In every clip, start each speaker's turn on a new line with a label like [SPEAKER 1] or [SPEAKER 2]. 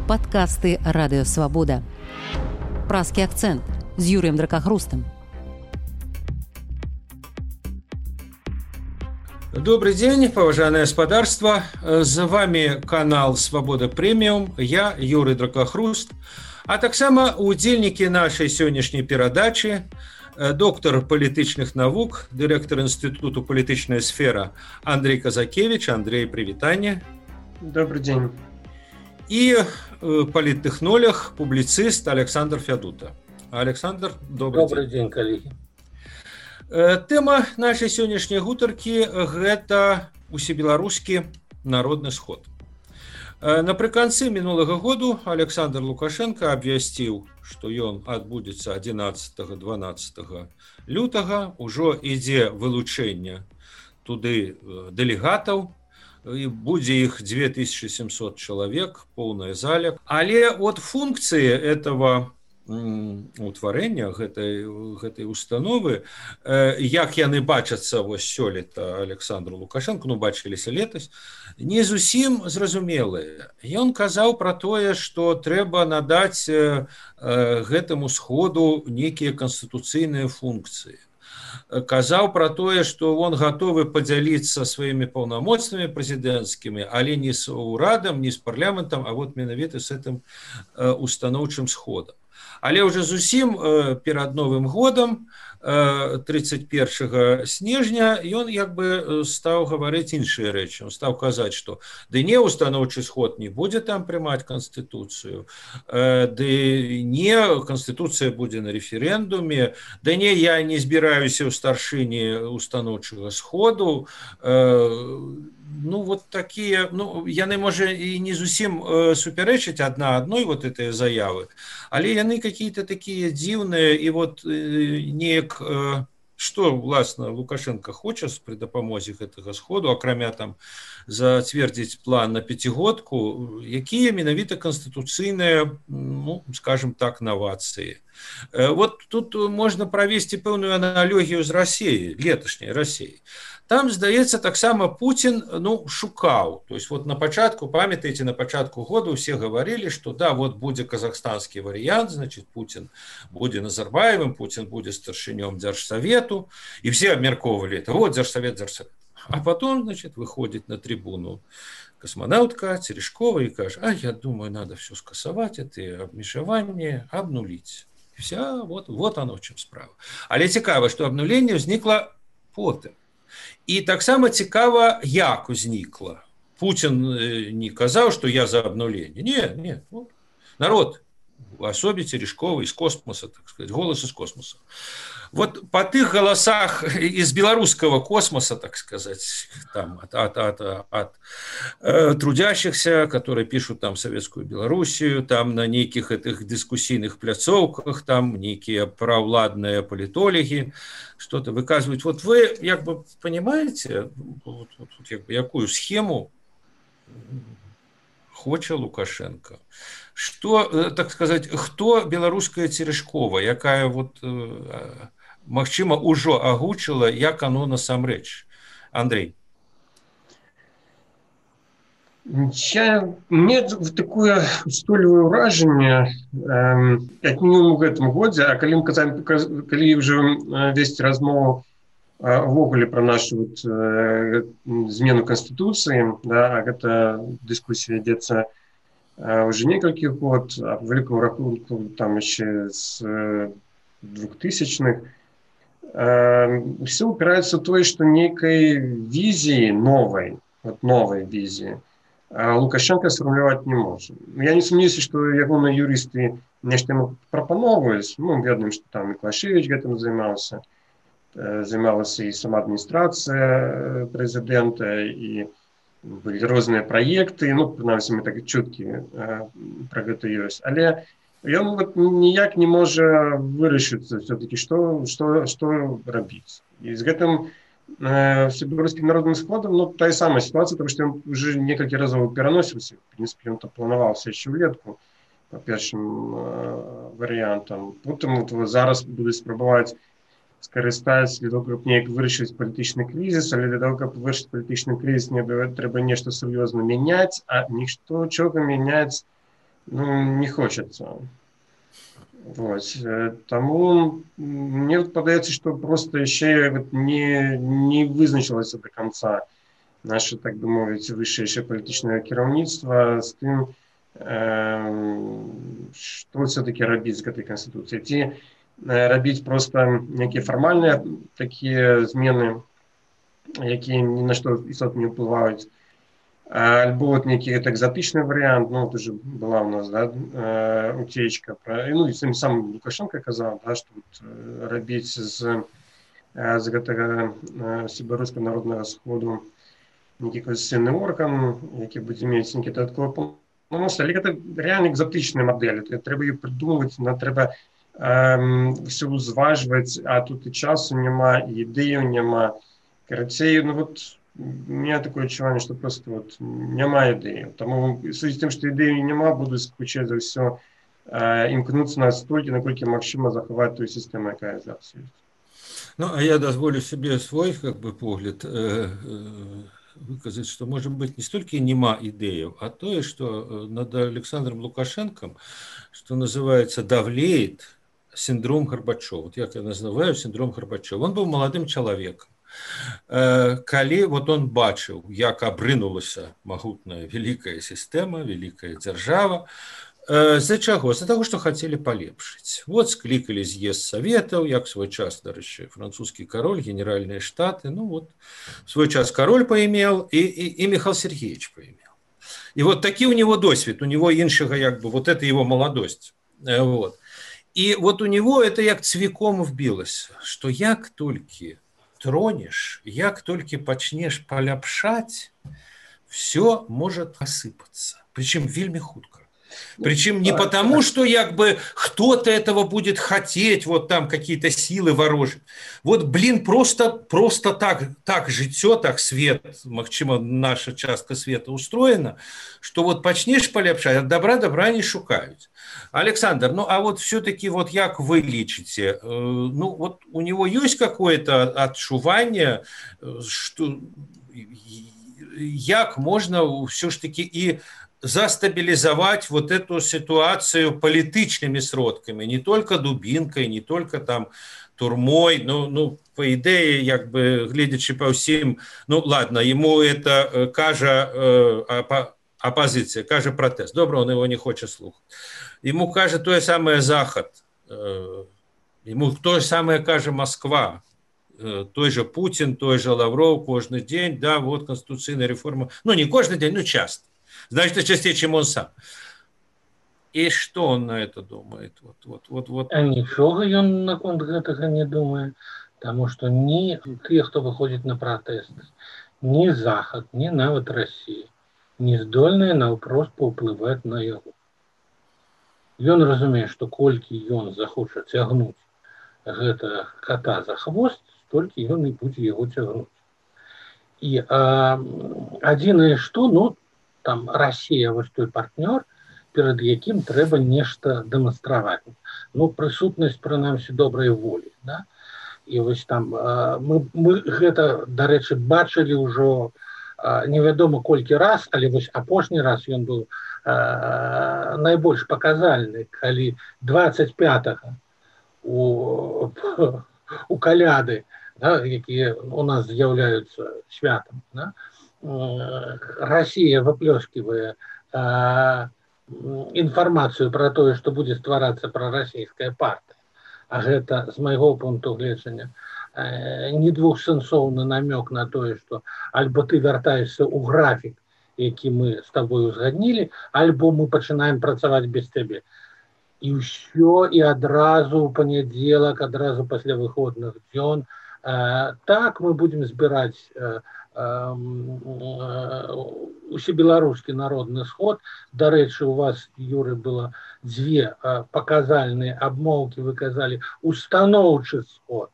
[SPEAKER 1] Падкасты Радыёвабода. Празкі акцэнт з Юрыем Дракахрустам.
[SPEAKER 2] Добрый день, поважанное господарство. З вами канал Свобода Премиум. Я Юрий Дракахруст. А таксама удзельнікі нашай сённяшняй перадачы, доктор палітычных навук, дырэктар Інстытуту палітычная сфера Андрей Казакевич. Андрей, привітанне.
[SPEAKER 3] Добрый день.
[SPEAKER 2] И политтехнолог, публицист Александр Фядута. Александр,
[SPEAKER 4] добрый день, коллеги.
[SPEAKER 2] Тэма нашай сённяшняй гутаркі – гэта усебеларускі народны сход. Напрыканцы мінулага году Александр Лукашенко абвясціў, што ён адбудзецца 11-12 лютага. Ужо ідзе вылучэнне туды дэлегатаў. І будзе іх 2700 чалавек, поўная заля. Але от функцыі этого утварэння гэтай установы, як яны бачацца вось сёлета Александру Лукашенко, бачыліся летась, не зусім зразумелыя. Ён казаў пра тое, што трэба надаць гэтаму сходу нейкія канстытуцыйныя функцыі. Казаў пра тое, што он гатовы падзяліцца сваімі паўнамоцтвамі прэзідэнцкімі, але не з урадам, не з парламентам, а вот менавіта з гэтым устаноўчым сходам. Але ўжо зусім перад Новым годам, 31 снежня, ён як бы стаў гаварыць іншыя рэчы. Он стаў казаць, што ды не устаноўчы сход не будзе там прымаць канстытуцыю, ды не канстытуцыя будзе на рэферэндуме, да не, я не збіраюся ў старшыні устаноўчага сходу. Вот такія, яны, можа, і не зусім супярэчаць адна адной вот этой заявы, але яны какие-то такія дзіўныя, і вот неяк, што, власна, Лукашенко хоча пры дапамозе гэтага сходу, акрамя там зацвердзіць план на пяцігодку, якія менавіта канстытуцыйныя, скажем так, новацыі. Вот тут можна правесці пэўную аналогію з Расіяй, леташняй Расіяй. Там, здаецца, таксама Путин шукаў. То есть вот на пачатку, памятаеце, на пачатку года усе гаварылі, што да, вот будзе казахстанскі варыянт, значит, Путин будзе Назарбаевым, Путин будзе старшынём Дзяржсавету, і все абмяркоўвалі это. Вот Дзяржсавет. А потом, значит, выходит на трибуну космонавтка Терешкова и кажет: а я думаю, надо все скасаваць, это абмежаванне, обнулить. Вся, вот оно в чым справа. Але цікава, што абнуленне ўзнікла потым. І таксама цікава, як узнікла. Путин не казаў, што я за абнуленне. Не. Народ, в особе Терешкова из космоса, так сказать, голос из космоса. Вот по тых голосах из белорусского космоса, так сказать, там, от трудящихся, которые пишут там советскую Белоруссию, там на неких этих дискуссийных пляцовках, там некие правладные политологи что-то выказывают. Вот вы, как бы, понимаете, якую схему хоча Лукашенко? Что, так сказать, хто беларуская Терешкова, якая вот, магчыма, ужо агучыла, як оно насамрэч? Андрей.
[SPEAKER 3] Мне такое устойлівае ўражанне, як мінімум у гэтым годзе, а калі ўжо весці размову увогуле пра нашу змену Канстытуцыі, да, а гэта дыскусія ідзецца уже некалькі год, а по великому рахунку там еще с 2000-х, все упирается в то, что некой визии новой визии Лукашенко сформулировать не может. Я не сомневаюсь, что ягоны юристы нешто ему прапановывают. Ведаем, что там Миклашевич этим занимался и сама администрация президента, и были розныя праекты, прынамсі мы так чуткі пра гэта ёсць, але ён ніяк не можа вырашыцца все-таки, што рабіць. І з гэтым всебеларускім народным сходам тая самая ситуация, потому что он уже некалькі разоў пераносіўся. В принципе, он планаваўся яшчэ ўлетку по першым варыянтам. Потым зараз будуць спрабаваць скарыстаць для того, каб неяк вырашыць палітычны крызіс, але для того, каб вырашыць палітычны крызіс, трэба нешта сур'ёзна мяняць, а нічога мяняць не хочется. Вот. Тому мне падаецца, што проста яшчэ не вызначылася до конца наше, так бы мовіць, вышэйшае палітычнае кіраўніцтва з тым, што все-таки рабіць з гэтай канстытуцыяй. Ці рабіць проста нейкія фармальныя такія змены, якія ні на што істотна не ўплываюць, альбо вот некий экзотичный вариант, ну, это же была у нас, да, утечка, ну, и сам Лукашенко казал, да, что вот рабіць з гэтага Беларускага народнага сходу нейкі конституцыйны орган, які будзе мець нейкі дадатковы паўнамоцтвы, але гэта реально экзотичная модель, трэба її придумывать, трэба все узважваць, а тут і часу няма, і ідэяў няма. Карацей, ну вот у меня такое адчуванне, што просто вот няма ідэі. Таму судзіць тым, што ідэі няма, будуць хутчэй за ўсё імкнуцца настолькі, наколькі магчыма захаваць тую сістэму, якая зараз ёсць.
[SPEAKER 2] Ну, а я дозволю себе свой как бы погляд выказать, что, может быть, не столько нема идеев, а то, что над Александром Лукашенком, что называется, давлеет синдром Горбачева. Вот я это называю синдром Горбачева. Он был молодым человеком. Калі вот он бачыў, як абрынулася магутная вялікая сістэма, вялікая дзяржава, з-за чаго? З-за таго, што хацелі палепшыць. Вот склікалі з'езд саветаў, як свой час, дарэчы, французскі кароль, генеральныя штаты, ну вот, свой час кароль паімел, і Михаил Сергеевич паімел. І вот такі у него досвед, у него іншага, як бы, вот это его молодость. Вот. І вот у него это як цвіком вбілася, што як толькі тронешь, як только пачнешь поляпшать, все может осыпаться. Причем вельми хутко. Причем не потому, что як бы кто-то этого будет хотеть, вот там какие-то силы ворожить. Вот, блин, просто так жыццё, так свет, магчыма, наша частка света устроена, что вот пачнешь поляпшать, от добра не шукаюць. Александр, ну а вот все-таки вот як вы лічыце, ну вот у него есть какое-то адчуванне, что як можно все ж таки и застабилизовать вот эту ситуацию политичными сродками, не только дубинкой, не только там турмой, ну по идее, як бы, глядячи по всем, ну ладно, ему это кажа оппозиция, кажа протест, добре, он его не хочет слухать. Ему каже то же самое Захад, ему то же самое каже Москва, той же Путин, той же Лавров каждый день, да, вот конституционная реформа, ну не каждый день, но часто. Значит, чаще, чем он сам. И что он на это думает? Вот.
[SPEAKER 4] А ничего он наконт гэтага не думает, потому что ни те, кто выходит на протесты, ни Захад, ни нават Россия не здольныя наўпрост паўплываць на яго. Ён разумее, што колькі ён захоча цягнуць гэта кота за хвост, столькі ён і будзе яго цягнуць. І адзінае што, ну, там Россия вось той партнёр, перад якім трэба нешта дэманстраваць. Ну, прысутнасць, прынамсі, добрай волі, да? І вось там мы гэта, дарэчы, бачылі ўжо невядома колькі раз, але вось апошні раз ён быў найбольш паказальны, калі 25-го у каляды, да, якія у нас з'яўляюцца святам, да? Россия выплёскивая информацию про то, что будет стварацца пророссийская партия, а гэта, з майго пункту гледжання, не двухсэнсоўны намек на то, что альбо ты вяртаешься ў графік, які мы с тобой узгаднілі, альбо мы пачынаем працаваць без цябе. І ўсё, і адразу ў панядзелак, адразу пасля выходных дзён, так мы будем збіраць усебеларускі народны сход. Дарэчы, у вас, Юры, было дзве паказальныя абмоўкі, вы казалі устаноўчы сход.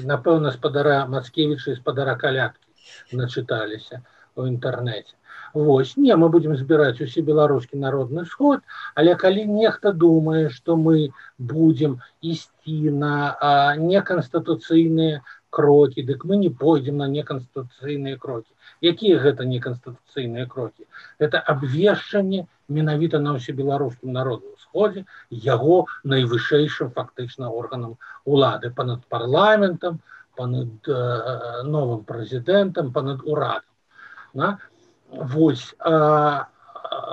[SPEAKER 4] Напэўна, спадара Мацкевіча і спадара Каляткі начыталіся ў інтэрнэце. Вось, не, мы будем збіраць усебеларускі народны сход, але калі нехта думае, што мы будем ісці на неканстытуцыйныя крокі, дык мы не пойдзем на неканстытуцыйныя крокі. Якія гэта неканстытуцыйныя крокі? Гэта абвешчанне менавіта на ўсебеларускім народным сходзе яго найвышэйшым фактычна органам улады панад парламентам, панад новым прэзідэнтам, панад урадам. Вось,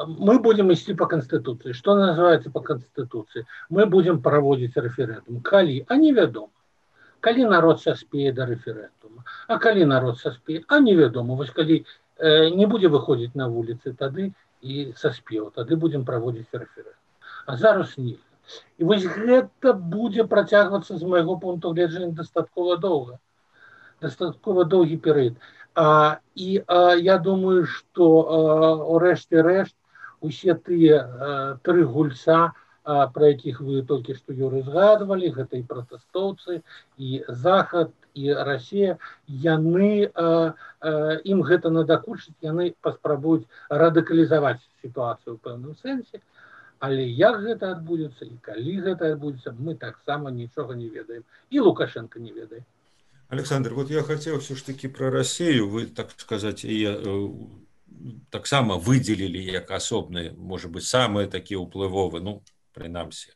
[SPEAKER 4] мы будем ісці по Конституции. Что называется по Конституции? Мы будем проводить референдум. Калі? А невядома. Калі народ саспее до референдума. А калі народ саспее? А невядома. Вось калі не будзе выходзіць на вуліцы, тады і саспеў. Тады будем проводить референдум. А зараз нельга. І вось гэта будзе працягвацца з майго пункту гледжання дастаткова доўга. Дастаткова доўгі перыяд. І я думаю, што у рэшце рэшт усе тыя тры гульца, пра якіх вы толькі што, Юрый, згадвалі, гэта і пратэстоўцы, і Захад, і Расія, яны, ім гэта надакучыць, яны паспрабуюць радыкалізаваць сітуацыю ў пэўным сэнсе, але як гэта адбудзецца і калі гэта адбудзецца, мы таксама нічога не ведаем. І Лукашенко не ведае.
[SPEAKER 2] Александр, вот я хотел все-таки про Россию, вы, так сказать, таксама выделили как асобны, может быть, самые такие уплывовые, ну, принамсі,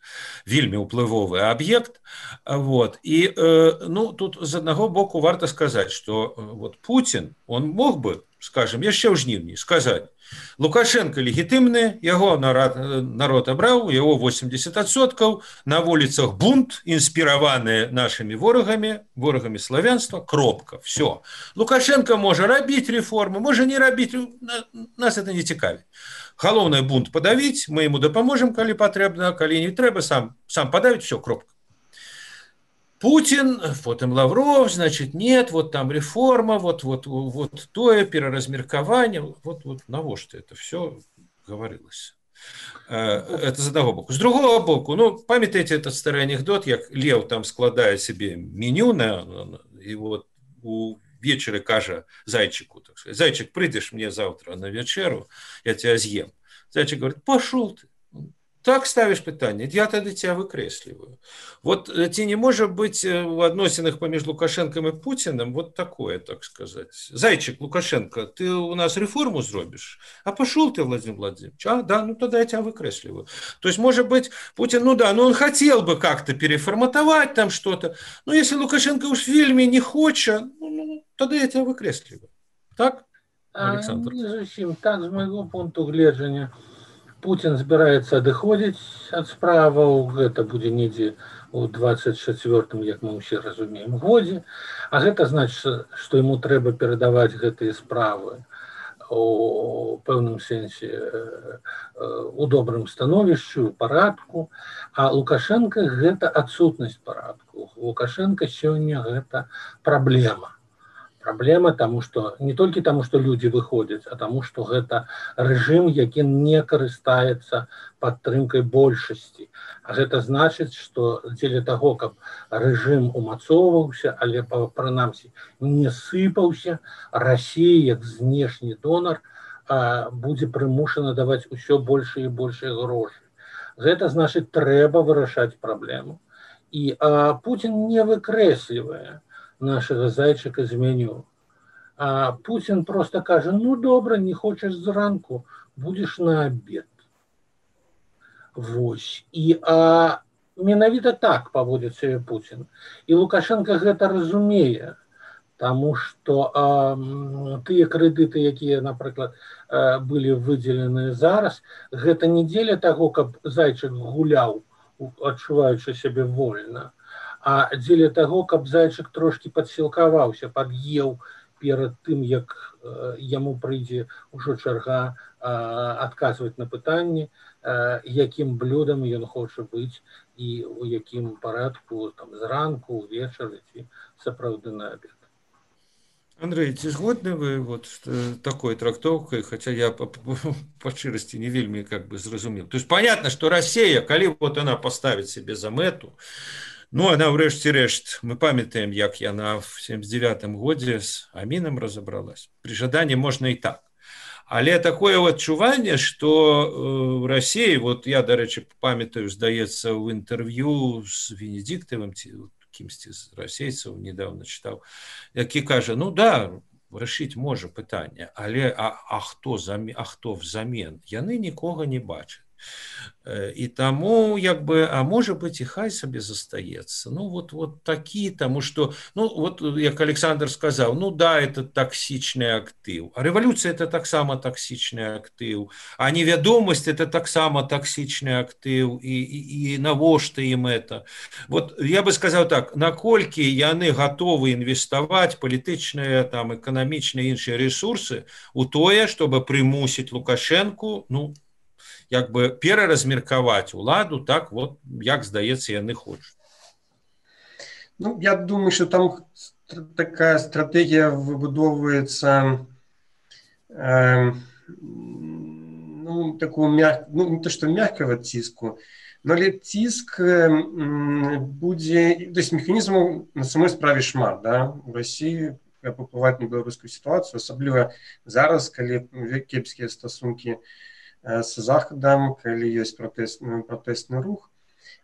[SPEAKER 2] вельмі уплывовый объект. Вот. И, тут з одного боку варто сказать, что вот Путин, он мог бы, скажем, яшчэ ў жніўні сказать, Лукашенко легітымны, яго народ абраў, яго 80%, на вуліцах бунт, інспіраваны нашими ворагамі славянства, кропка, все. Лукашенко можа рабіць реформы, можа не рабіць, нас это не цікавіць. Галоўнае бунт падавіць, мы ему дапаможам, калі патрэбна, калі не трэба, сам падавіць, все, кропка. Путин, потом Лавров, значит, нет, вот там реформа, вот тое, переразмеркование, вот навошта это все говорилось. Это з одного боку. З другого боку, памятаете этот старый анекдот, як Лев там складае себе меню, и вот увечары кажа зайчику, так сказать, зайчик, прыйдешь мне завтра на вечеру, я тебя съем. Зайчик говорит, пошел ты. Так ставишь питание, я тогда тебя выкресливаю. Вот ці не может быть в адносінах паміж Лукашенком и Путиным вот такое, так сказать. Зайчик, Лукашенко, ты у нас реформу зробишь? А пошел ты, Владимир Владимирович? А, да, тогда я тебя выкресливаю. То есть, может быть, Путин, он хотел бы как-то переформатовать там что-то, но если Лукашенко уж в фильме не хочет, тогда я тебя выкресливаю. Так, Александр?
[SPEAKER 4] Не зусім так, з майго пункту гледжання. Путин збіраецца адыходзіць ад справаў, гэта будзе недзе ў 24-м, як мы ўсе разумеем, годзе, а гэта значыць, што яму трэба перадаваць гэтыя справы у пэўным сэнсе у добрым становішчы, у парадку, а Лукашенко гэта адсутнасць парадку. Лукашенко сёння гэта праблема. Праблема тому, что не толькі тому, что люди выходзяць, а тому, что гэта рэжым, які не карыстаецца падтрымкай большасці. А гэта значыць, што дзеля таго, каб рэжым умацоўваўся, але прынамсі не сыпаўся, Расія, як знешні донар, будзе прымушана даваць усё больше і больше грошай. Гэта значыць, трэба вырашаць праблему. І Путин не выкрэслівае нашего зайчика з меню. А Путин просто кажа, добра, не хочешь зранку, будешь на обед. Вось. І менавіта так паводзіць сябе Путин. І Лукашенко гэта разумее, тому што тыя крэдыты, якія, напрыклад, былі выдзелены зараз, гэта не дзеля таго, каб зайчык гуляў, адчуваючы сябе вольна, а дзеля таго, каб зайчык трошки падсілкаваўся, пад'еў перад тым, як яму прыйдзе ўжо чарга адказваць на пытанні, якім блюдам ён хоча быць і у якім парадку, там, зранку, увечары ці сапраўды на обед.
[SPEAKER 2] Андрей, ці згодны вы вот такой трактовкой, хотя я по шчырасці не вельмі зразумеў. То есть понятно, что Россия, калі вот она поставит себе за мэту, она ўрэшце рэшт, мы памятаем, як яна в 79-м годзе з Амінам разобралась. При жаданні можна і так. Але такое адчуванне, што в России, вот я, дарэчы, памятаю, здаецца, ў інтэрв'ю з Венедиктовым, кімсьці з расейцаў недавно чытаў, які кажа, ну да, вырашыць можа пытанне, але хто взамен? Яны нікога не бачаць. І таму як бы, а можа быць і хай сабе застаецца. Ну вот такі, таму што, ну вот як Александр сказаў, ну да, это токсичны актыў, а рэвалюцыя это таксама токсичны актыў, а невядомасць это таксама токсичны актыў, і навошта ім это. Вот я бы сказаў так, наколькі яны гатовы інвеставаць палітычныя, там, эканамічныя іншыя ресурсы у тое, чтобы прымусіць Лукашэнку, ну, як бы пераразмеркаваць уладу так, вот, як, здаецца, яны хочуць.
[SPEAKER 3] Ну, я думаю, что там такая стратегия выбудовывается, ну, такого ну, не то, что мягкого ціску, но ціск будзе, то есть механізмаў на самой справе шмат, да, у России паўплываць на беларускую ситуацию, асабліва зараз, калі кепскія стасункі с захадам, калі ёсць пратэсны рух,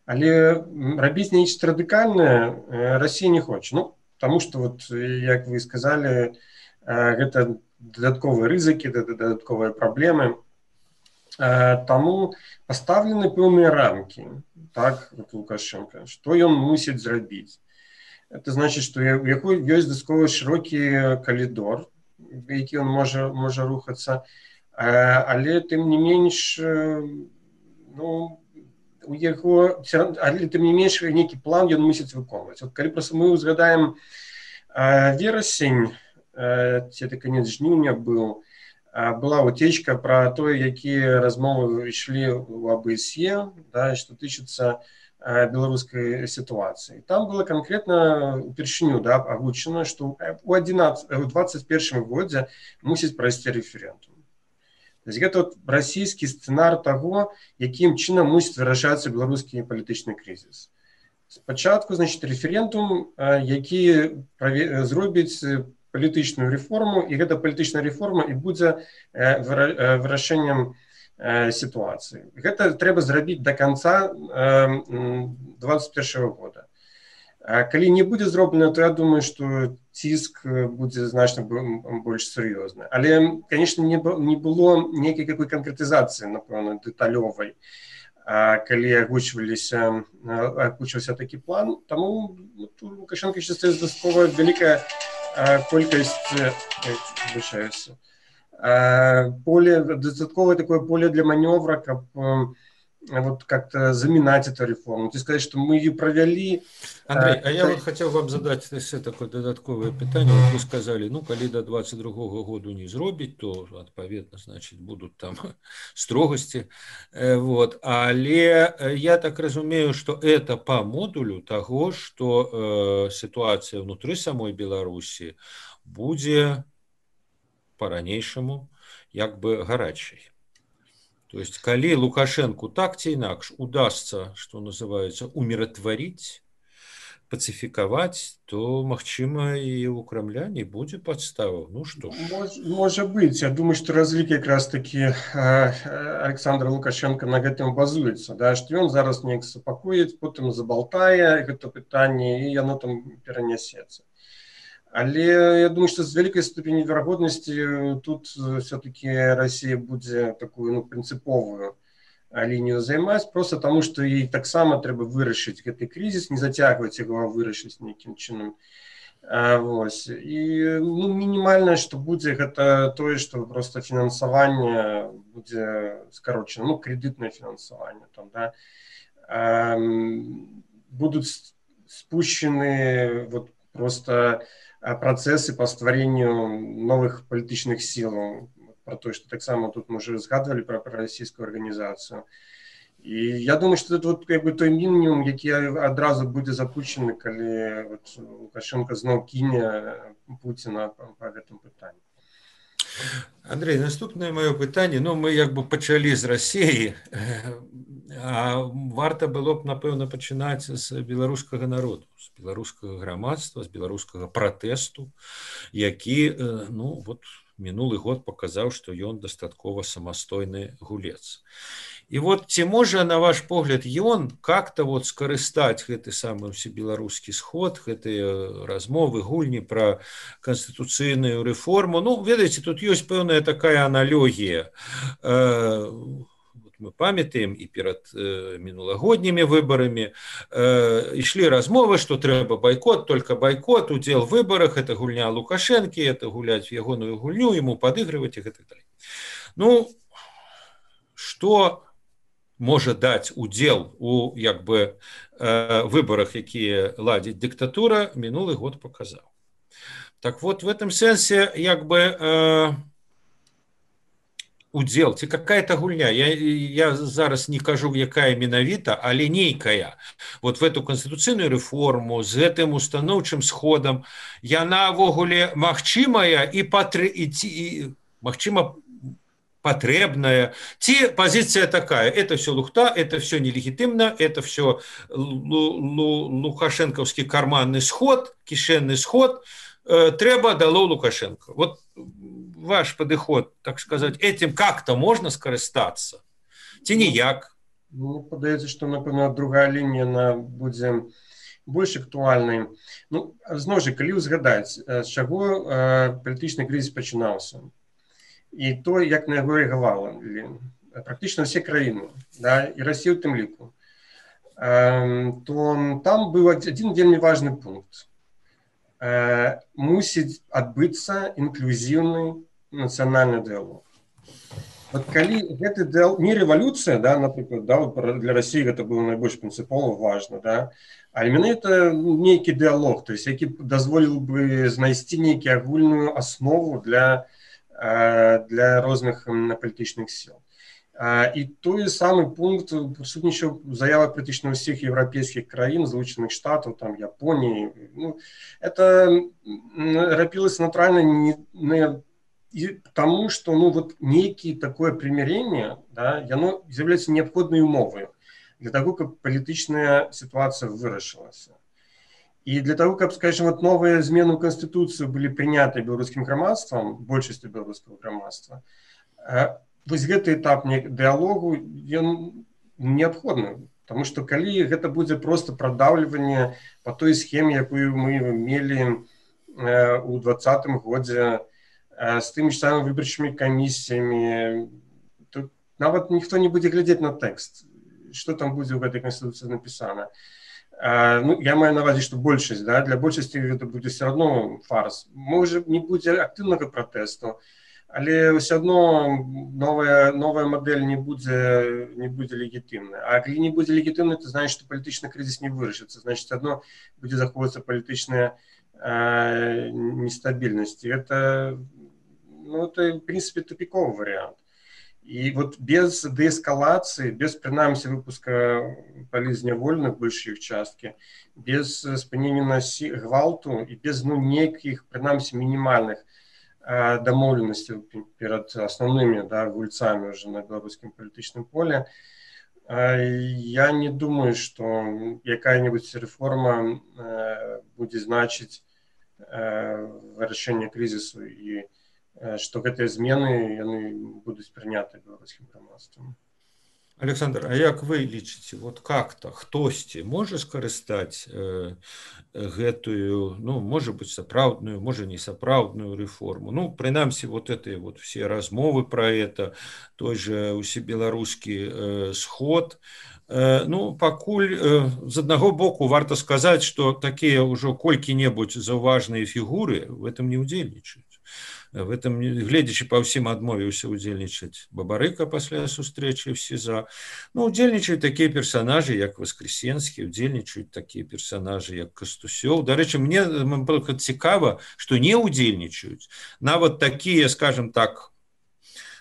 [SPEAKER 3] але рабіць нечто радыкальнае Россия не хоча. Ну, потому что, вот, як вы сказали, гэта дадатковыя рызыкі, дадатковыя праблемы. Таму паставлены пэўныя рамкі, так, вот Лукашенко, што ён мусіць зрабіць. Это значит, што у яго ёсць дастаткова шырокі калідор, які ён можа рухацца, але тым не менш, ну, у яго, але тым не менш нейкі план ён мусіць выконваць. Вот калі проста мы узгадаем верасень, ці это канец жніўня быў, была утечка про то, якія размовы ішлі ў АБСЕ, да, што тычыцца беларускай сітуацыі. Там было конкретно упершыню, да, агучана, што у 2021 годзе мусіць прайсці рэферэндум. То есть гэта вот расійскі сцэнар таго, якім чынам мусіць вырашацца беларускі палітычны крызіс. Спачатку, значит, рэферэндум, які зробіць палітычную рэформу, і гэта палітычная рэформа і будзе вырашэннем сітуацыі. Гэта трэба зрабіць до конца 2021 года. Калі не будзе зроблена, то я думаю, што ціск будзе значна больш сур'ёзны. Але, конечно, не было нейкай какой канкрэтызацыі, напэўна, дэталёвай, калі агучваўся такі план. Таму Лукашенко ще стає дастаткова вялікая колькасць, дастатковое такое поле для маневра, каб вот как-то заминать эту реформу. Ты сказать, что мы ее провели.
[SPEAKER 2] Андрей, а я вот хотел вам задать такое додатковое питание. Вот вы сказали, ну, коли до 22 года не зробить, то, отповедно, значит, будут там строгости. Вот. Але я так разумею, что это по модулю того, что ситуация внутри самой Беларуси будет по-ранейшему як бы гарачай. То есть, калі Лукашенку так ці інакш удастся, что называется, умиротворить, пацификовать, то, магчыма, и у Кремля не будет подставаў. Ну что ж.
[SPEAKER 3] Может быть. Я думаю, что разлік якраз таки Александр Лукашенко на гэтым базуецца, да, што ён зараз неяк супакоіць, потым забалтае гэта пытанне, і яно там перанясецца. Але я думаю, что с великой ступенью вероятности тут все-таки Россия будет такую, ну, принциповую линию займать, просто потому что ей так само треба вырашить этот кризис, не затягивать его, а вырашить неким чином. Вот. И, ну, минимальное, что будет, это то, что просто финансование будет скорочено, ну, кредитное финансование там, да, будут спущены вот просто процессы по стваренню новых палітычных сил, про то, что так само тут мы уже згадывали про российскую организацию. И я думаю, что это вот как бы той мінімум, який одразу буде запущений, коли вот Лукашенко знов кине Путіна по этому питанню.
[SPEAKER 2] Андрей, наступное мое питание, ну, мы як бы почали з Росії, а варта было б, напевно, починати з білоруського народу, з білоруського громадства, з білоруського протесту, які, ну, вот, минулый год показал, что он достатково самостойный гулец. І вот ці можа, на ваш погляд, ён как-то вот скарыстаць гэты самы ўсебеларускі сход, гэтыя размовы, гульні пра канстытуцыйную рэформу. Ну, ведаеце, тут ёсць пэўная такая аналогія. Мы памятаем і перад мінулагоднімі выбарамі ішлі размовы, што трэба байкот, только байкот, удзел в выбарах, это гульня Лукашэнкі, это гуляць в ягоную гульню, ему падыгрываць і гэтак далей. Ну, што можа даць удзел у як бы выбарах, якія ладзіць дыктатура, мінулы год паказаў. Так вот, в этом сэнсе як бы удзел, ці какая-то гульня, я зараз не кажу, якая менавіта, але нейкая. Вот в эту канстытуцыйную рэформу з гэтым устаноўчым сходам яна ввогуле магчымая і магчыма потребная. Ці позиция такая, это все лухта, это все нелегитимно, это все лукашенковский карманный сход, кишенный сход, трэба дало Лукашенко. Вот ваш подыход, так сказать, этим как-то можно скористаться? Ці ніяк?
[SPEAKER 3] Мне падаецца, што, напэўна, другая лінія будзе больш актуальнай. Ну, зноў жа, калі ўзгадаць, з чаго палітычны крызіс пачынаўся, і то, як на яго рэагавалі практычна ўсе краіны, да, і Расія ў тым ліку, то там быў адзін вельмі важны пункт. Мусіць адбыцца інклюзіўны нацыянальны дыялог. Вот калі гэты дыялог, не рэвалюцыя, да, напрыклад, да, для Расіі гэта было найбольш прынцыпова важна, да, але менавіта нейкі дыялог, то есть, які дазволіў бы знайсці нейкую агульную аснову для розных палітычных сіл. І той самы пункт прысутнічаў у заявах практычна ўсіх еўрапейскіх краін, Злучаных Штатаў, там, Японіі. Ну, это рабілася натуральна не тому, што ну, вот, нейкі такое прымірэнне, да, яно з'яўляецца неабходнай умовай для таго, каб палітычная сітуацыя вырашылася. И для того, как, скажем, вот новые измены в Конституцию были приняты белорусским громадством, большинством белорусского громадства, вот этот этап диалогу необходим, потому что коли это будет просто продавливание по той схеме, якую мы имели у 2020 году с теми же самыми выборчими комиссиями, то нават никто не будет глядеть на текст, что там будет в этой Конституции написано. Ну, я маю на увазі, што большасць, да, для большасці гэта будзе все равно фарс. Можа, не будзе актыўнага пратэсту, але ўсё адно новая мадэль не будзе легітымная. А калі не будзе легітымная, то значит, што палітычны крызіс не вырашыцца, значит, адно будзе захоўвацца палітычная нестабільнасць. Это, ну, это, в принципе, тупиковый вариант. И вот без деэскалации, без, принамсі, выпуска палізнявольных большей их частки, без спынення гвалту и без, ну, неких, принамсі, минимальных домовленностей перед основными, да, гульцами уже на белорусском политическом поле, я не думаю, что какая-нибудь реформа будет значить вырашэнне кризису и што гэтыя змены яны будуць прыняты беларускім грамадствам.
[SPEAKER 2] Александр, а як вы лічыце, вот как-то хтосьці можа скарыстаць гэтую, ну, можа быць, сапраўдную, можа не сапраўдную рэформу? Ну, прынамсі, вот это вот все размовы про это, той же усебеларускі сход. Ну, пакуль з аднаго боку варта сказаць, што такія ўжо колькі-небудзь заўважныя фігуры в этом не удзельнічаюць. В этом, гледзячы па ўсім, адмовіўся удзельнічаць Бабарыка пасля сустрэчы в СІЗА. Ну, удзельнічаюць такія персонажы, як Воскресенскі, удзельнічаюць такія персонажы, як Кастусёў. Дарэчы, мне цікава, што не удзельнічаюць нават такія, скажем так,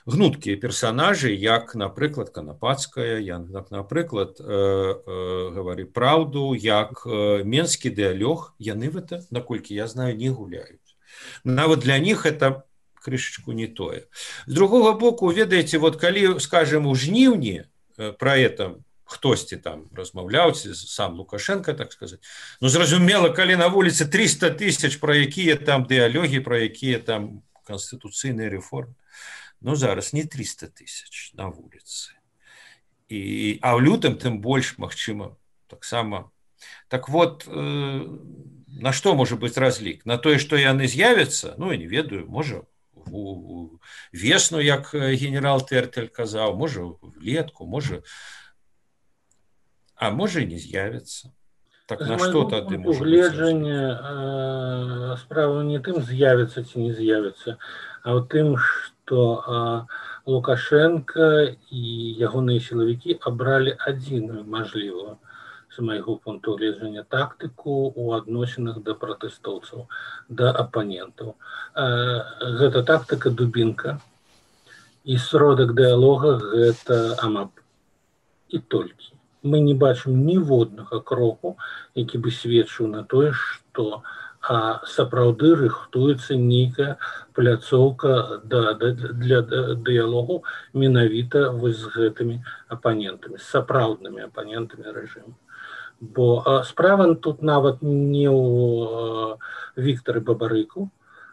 [SPEAKER 2] гнуткія персонажы, як, напрыклад, Канапацкая, як, напрыклад, Гавары праўду, як Менскі дыялог, яны в это, наколькі я знаю, не гуляюць. Нават для них это крышечку не тое. З другого боку, ведаеце, вот калі, скажем, у жніўні про это хтосьці там размаўляў, сам Лукашенко, так сказать, ну, зразумела, калі на вуліцы 300 000, про якія там дыялогі, про якія там канстытуцыйныя рэформы, ну, зараз не 300 000 на вуліцы. А ў лютым тым больш магчыма таксама. Так вот, на што можа быць разлік? На тое, што яны з'явяцца, ну, я не ведаю, можа весну, як генерал Тэртель казаў, можа влетку, можа, а можа і не з'явяцца. Так на што тады можа быць
[SPEAKER 4] гледжання справа не тым з'явіцца ці не з'явіцца, а ў тым, што Лукашенко і ягоныя сілавікі абралі адзіную мажлівую, з майго пункту гледжання, тактыку ў адносінах да пратэстоўцаў, да апанентаў. Гэта тактыка дубінка, і сродак дыялога гэта АМАП. І толькі. Мы не бачым ніводнага кроку, які бы сведчыў на тое, што сапраўды рыхтуецца нейкая пляцоўка для дыялогу менавіта з гэтымі апанентамі, з сапраўднымі апанентамі рэжыму. Бо справа тут нават не ў Віктары Бабарыку,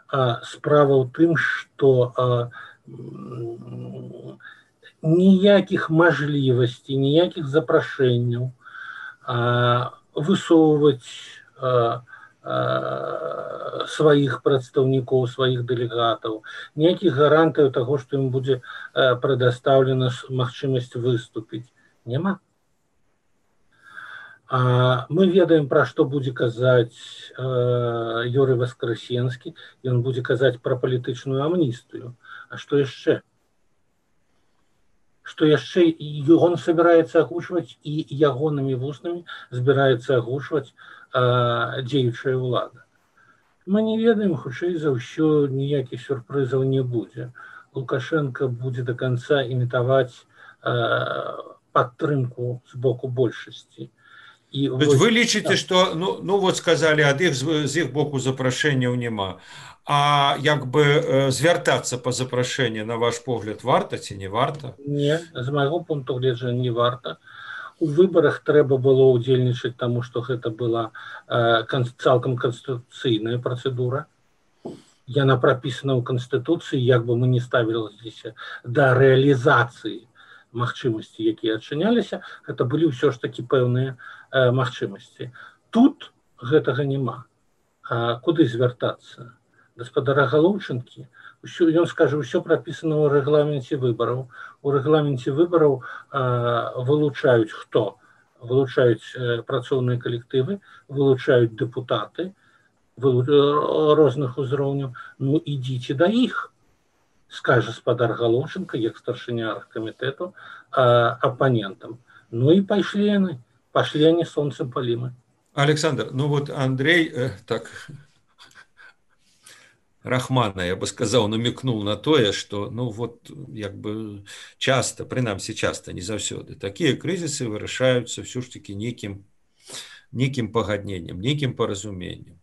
[SPEAKER 4] а справа ў тым, што ніякіх мажлівасцей, ніякіх запрашэнняў высоўваць сваіх прадстаўнікоў, сваіх дэлегатаў, ніякіх гарантыяў таго, што ім будзе прадастаўлена магчымасць выступіць, няма. Мы ведаем, пра што будзе казаць Юрый Васкрасенскі, ён будзе казаць пра палітычную амністыю. А што яшчэ? Што яшчэ ён собираецца агучваць і ягонымі вуснамі збіраецца агучваць дзеючая ўлада. Мы не ведаем, хутчэй за ўсё ніякіх сюрпрызаў не будзе. Лукашенко будзе до конца імітаваць падтрымку з боку большасці.
[SPEAKER 2] Вы лічыце, што, ну вот сказалі, ад іх з іх боку запрашэнняў няма. А як бы звяртацца па запрашэнні, на ваш погляд, варта ці не варта?
[SPEAKER 4] Не, з майго пункту гледжання не варта. У выбарах трэба было ўдзельнічаць, таму што гэта была цалкам канстытуцыйная працэдура. Яна прапісана ў Канстытуцыі, як бы мы не ставіліся да рэалізацыі магчымасці, якія адчыняліся, гэта былі ўсё ж такі пэўныя магчымасці. Тут гэтага няма. Куды звяртацца? Гаспадара Галоўчынкі, ён скажа, ўсё прапісана ў рэгламенце выбараў. У рэгламенце выбараў вылучаюць хто? Вылучаюць працоўныя калектывы, вылучаюць дэпутаты розных узроўняў. Ну, ідзіце да іх, скажа гаспадар Галоўчынка, як старшыня аргкамітэту, апанентам. Ну і пайшлі яны. Пошли они солнцем полимы.
[SPEAKER 2] Александр, ну вот Андрей так Рахмана, я бы сказал, намекнул на тое, что, ну вот, як бы часто, принамсі часто, не заўсёды, такие кризисы вырашаюцца все ж таки неким пагадненнем, неким паразумением.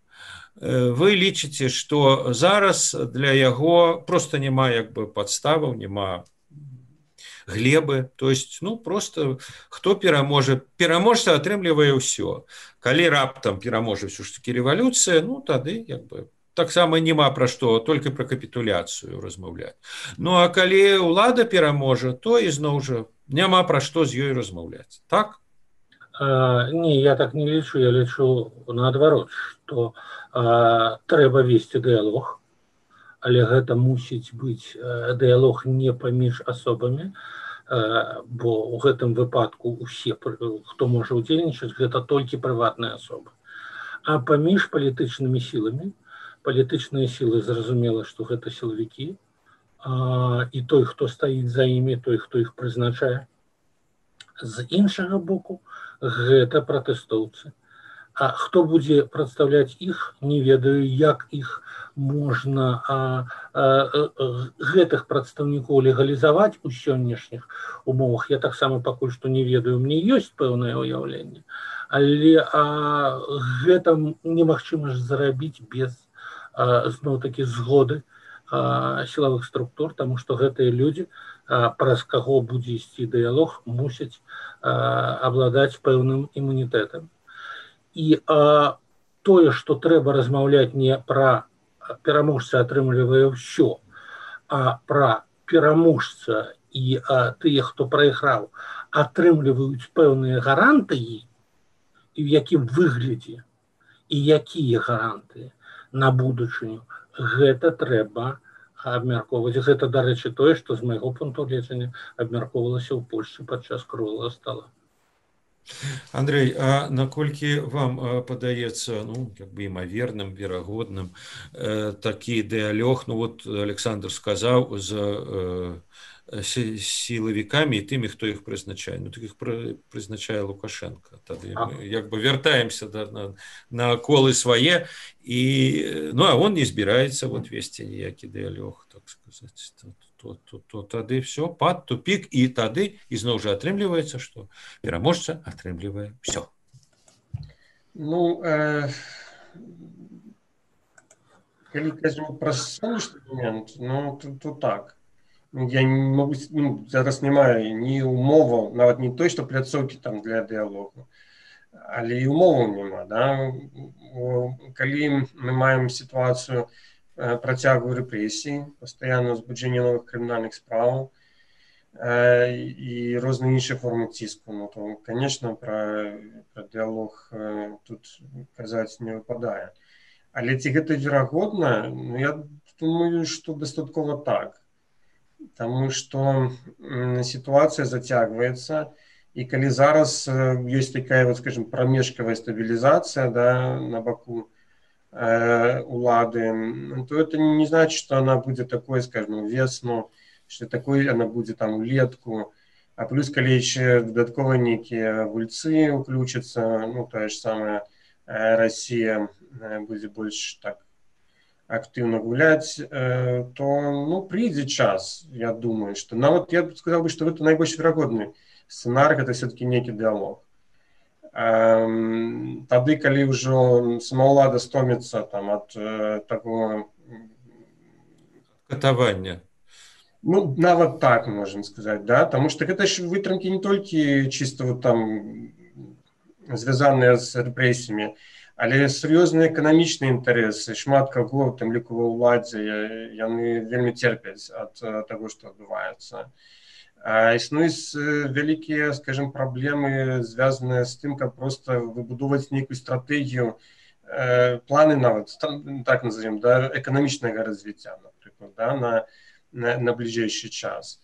[SPEAKER 2] Вы лічыце, что зараз для яго просто няма як бы подставаў, няма глебы, то есть, ну, просто хто пераможа, пераможца атрымлівае ўсё. Калі раптам пераможа ўсё ж таки рэвалюцыя, ну, тады, як бы, таксама няма пра што, толькі пра капітуляцыю размаўляць. Ну, а калі ўлада пераможа, то ізноў жа няма пра што з ёй размаўляць. Так?
[SPEAKER 4] Не, я так не лічу, я лічу наадварот, што трэба весці дыялог, але гэта мусіць быць дыялог не паміж асобамі, бо ў гэтым выпадку усе, хто можа ўдзельнічаць, гэта толькі прыватныя асобы. А паміж палітычнымі сіламі, палітычныя сілы, зразумела, што гэта сілавікі, і той, хто стаіць за імі, той, хто іх прызначае. З іншага боку, гэта пратэстоўцы. А хто будзе прадстаўляць іх, не ведаю, як іх можна гэтых прадстаўнікоў легалізаваць у сённяшніх умовах. Я таксама пакуль што не ведаю, мне ёсць пэўнае ўяўленне, але гэта немагчыма ж зарабіць без зноў-такі згоды сілавых структур, таму што гэтыя людзі, праз каго будзе ісці дыялог, мусяць абладаць пэўным імунітэтам. І тое, што трэба размаўляць не пра пераможца атрымлівае ўсё, а пра пераможца і тыя, хто прайграў, атрымліваюць пэўныя гарантыі, і ў якім выглядзе, і якія гарантыі на будучыню, гэта трэба абмяркоўваць. Гэта, дарэчы, тое, што з майго пункту гледжання абмяркоўвалася ў Польшчы падчас круглага стола.
[SPEAKER 2] Андрей, а наколькі вам падаецца, как бы імаверным, верагодным такі дыялог, вот Александр сказаў, з сілавікамі і тымі, хто іх прызначае. Так іх прызначае Лукашенко. Тады мы як бы вяртаемся на колы свае, а он не збіраецца весці ніякі дыялог, так сказаць. То тады все, пад тупік, і тады ізноў жа атрымліваецца, што пераможца атрымлівае все.
[SPEAKER 3] Калі кажем пра сонечны момент, то так. Я не могу, зараз немає ні умоваў, нават не той, што пляцоўкі там для дыялогу, але і умоваў няма, да? Калі мы маем сітуацыю працягу рэпрэсій, пастаянна ўзбуджэнне новых крымінальных справаў і розныя іншыя формы ціску, то, конечно, пра дыялог тут казаць не выпадае. Але ці гэта верагодна? Я думаю, што дастаткова так. Таму што сітуацыя зацягваецца, і калі зараз ёсць такая, скажем, прамежкавая стабілізацыя, да, на баку улады, то это не значит, что она будет такой, скажем, весну, что такой она будет там улетку, а плюс, калі еще додатково некие гульцы уключатся, то же самое Россия будет больше так активно гулять, то, придет час, я думаю, что, я бы сказал, что это наибольш верагодный сценарий, это все-таки некий диалог. Тады, калі ўжо самаўлада стоміцца ад такого
[SPEAKER 2] катавання.
[SPEAKER 3] Нават так можем сказаць, да, таму што гэта ж вытрымкі не толькі чыста там звязаныя з рэпрэсіямі, але сур'ёзныя эканамічныя інтарэсы, шмат каго, у тым ліку ва ўладзе, яны вельмі церпяць ад таго, што адбываецца. Існуюць вялікія, скажем, праблемы, звязаныя з тым, каб проста выбудоўваць нейкую стратэгію, планы нават, так назовем, да, эканамічнага развіцця, напрыклад, да, на бліжэйшы час.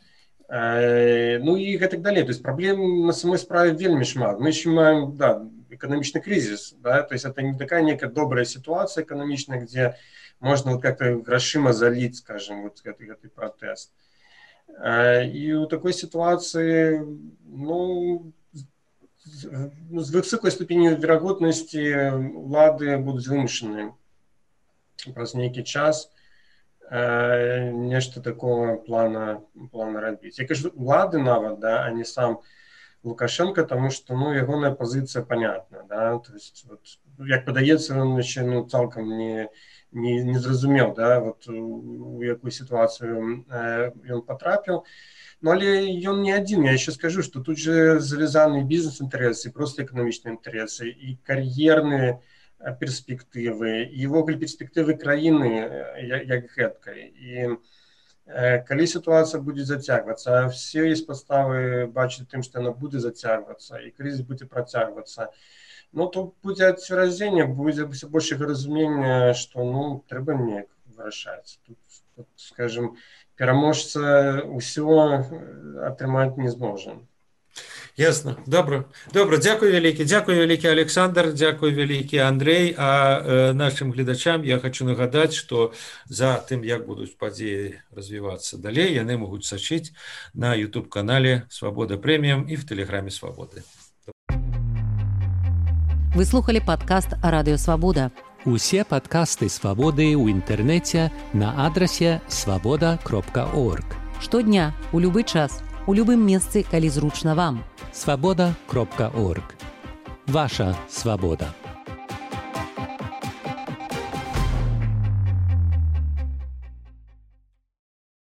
[SPEAKER 3] І гэтак далей. То есть праблем на самой справе вельмі шмат. Мы еще маем, да, эканамічны кризис, да, то есть это не такая некая добрая ситуация эканамічная, где можно как-то грашыма залить, скажем, гэты протест. И у такой ситуации, с высокой ступенью верагодности улады будут вымушаны праз нейкі час нешта такого плана рабіць. Я кажу, улады нават, да, а не сам Лукашенко, тому что, ягоная позиция понятна, да, то есть, як падаецца, ён яшчэ, цалкам не зразумеў, да, у якую сітуацыю ён патрапіў. Але ён не адзін. Я еще скажу, что тут же завязаны бізнес-інтарэсы, просто эканамічныя інтарэсы, і кар'ерныя перспектывы, і ввогуле перспектывы краіны як гэткай. І калі сітуацыя будзе зацягвацца, все есть падставы бачыць тым, што яна будзе зацягвацца, і крызіс будзе працягвацца, то будзе адцверазення, будзе все большего разумення, што трэба неяк вырашаць. Тут, скажем, пераможца ўсё атрымаць не зможа.
[SPEAKER 2] Ясно. Добро. Дякую вялікі Александр, дзякуй вялікі Андрей. А нашим гледачам я хочу нагадаць, што за тым, як будуць падзеі развівацца далей, яны могуць сачыць на YouTube-канале «Свобода Премиум» і в Телеграме «Свободы».
[SPEAKER 1] Вы слухали падкаст «Радыё Свабода».
[SPEAKER 5] Усе падкасты «Свабоды» ў інтэрнэце на адрасе свабода.орг.
[SPEAKER 1] Штодня, у любы час, у любым месцы, калі зручна вам.
[SPEAKER 5] Свабода.орг. Ваша свабода.